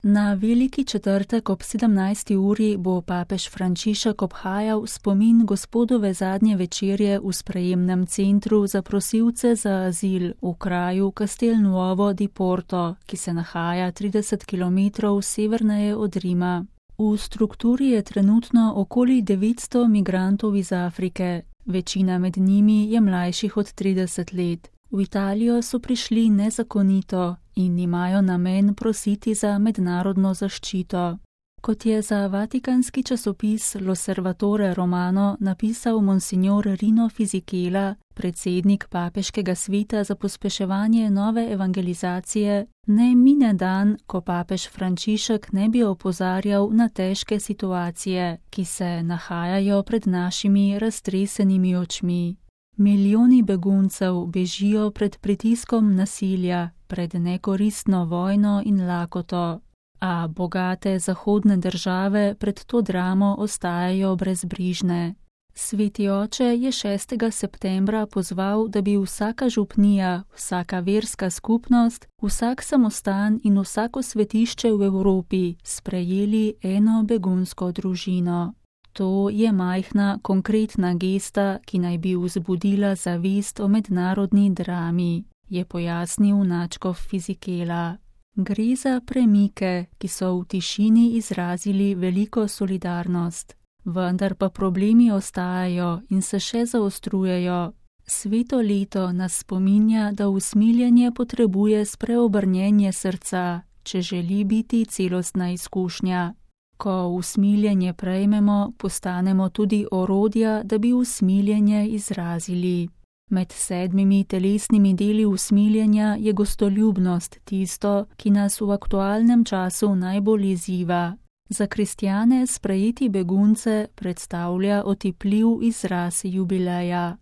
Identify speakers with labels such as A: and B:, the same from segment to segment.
A: Na veliki četrtek ob 17. uri bo papež Frančišek obhajal spomin Gospodove zadnje večerje v sprejemnem centru za prosilce za azil v kraju Castelnuovo di Porto, ki se nahaja 30 km severneje od Rima. V strukturi je trenutno okoli 900 migrantov iz Afrike, večina med njimi je mlajših od 30 let. V Italijo so prišli nezakonito in imajo namen prositi za mednarodno zaščito. Kot je za vatikanski časopis L'Osservatore Romano napisal monsignor Rino Fisichella, predsednik papeškega sveta za pospeševanje nove evangelizacije, ne mine dan, ko papež Frančišek ne bi opozarjal na težke situacije, ki se nahajajo pred našimi raztresenimi očmi. Milijoni beguncev bežijo pred pritiskom nasilja, pred nekoristno vojno in lakoto, a bogate zahodne države pred to dramo ostajajo brezbrižne. Sveti oče je 6. septembra pozval, da bi vsaka župnija, vsaka verska skupnost, vsak samostan in vsako svetišče v Evropi sprejeli eno begunsko družino. To je majhna, konkretna gesta, ki naj bi vzbudila zavest o mednarodni drami, je pojasnil nadškof Fisichella. Gre za premike, ki so v tišini izrazili veliko solidarnost. Vendar pa problemi ostajajo in se še zaostrujejo. Sveto leto nas spominja, da usmiljenje potrebuje spreobrnjenje srca, če želi biti celostna izkušnja. Ko usmiljenje prejmemo, postanemo tudi orodja, da bi usmiljenje izrazili. Med 7 telesnimi deli usmiljenja je gostoljubnost tisto, ki nas v aktualnem času najbolj izziva. Za kristjane sprejeti begunce predstavlja otipljiv izraz jubileja.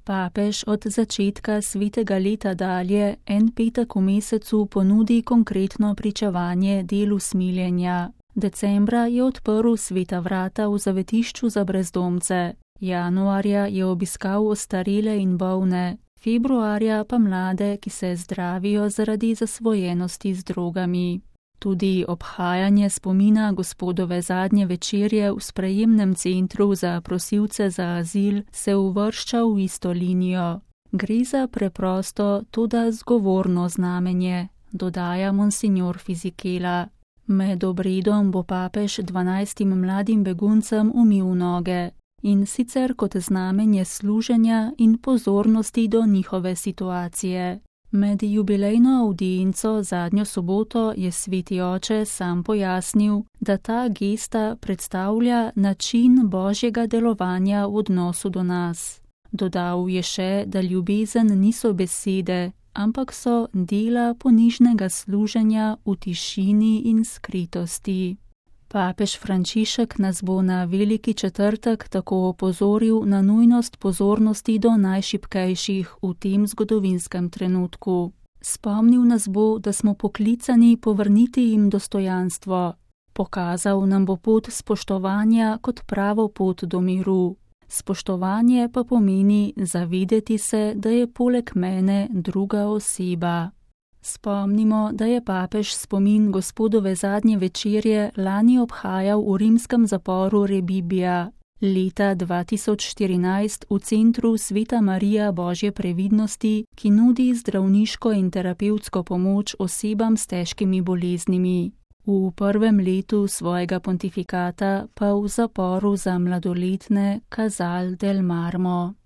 A: Papež od začetka svetega leta dalje en petek v mesecu ponudi konkretno pričevanje del usmiljenja. Decembra je odprl sveta vrata v zavetišču za brezdomce, januarja je obiskal ostarele in bolne, februarja pa mlade, ki se zdravijo zaradi zasvojenosti z drogami. Tudi obhajanje spomina Gospodove zadnje večerje v sprejemnem centru za prosilce za azil se uvršča v isto linijo. Gre za preprosto, toda zgovorno znamenje, dodaja monsignor Fisichella. Med obredom bo papež 12 mladim beguncem umil noge, in sicer kot znamenje služenja in pozornosti do njihove situacije. Med jubilejno avdienco zadnjo soboto je sveti oče sam pojasnil, da ta gesta predstavlja način Božjega delovanja v odnosu do nas. Dodal je še, da ljubezen niso besede, ampak so dela ponižnega služenja v tišini in skritosti. Papež Frančišek nas bo na veliki četrtek tako opozoril na nujnost pozornosti do najšibkejših v tem zgodovinskem trenutku. Spomnil nas bo, da smo poklicani povrniti jim dostojanstvo. Pokazal nam bo pot spoštovanja kot pravo pot do miru. Spoštovanje pa pomeni zavedeti se, da je poleg mene druga oseba. Spomnimo, da je papež spomin Gospodove zadnje večerje lani obhajal v rimskem zaporu Rebibbia. Leta 2014 v centru Sveta Marija Božje previdnosti, ki nudi zdravniško in terapevtsko pomoč osebam s težkimi boleznimi. V prvem letu svojega pontifikata pa v zaporu za mladoletne Casal del Marmo.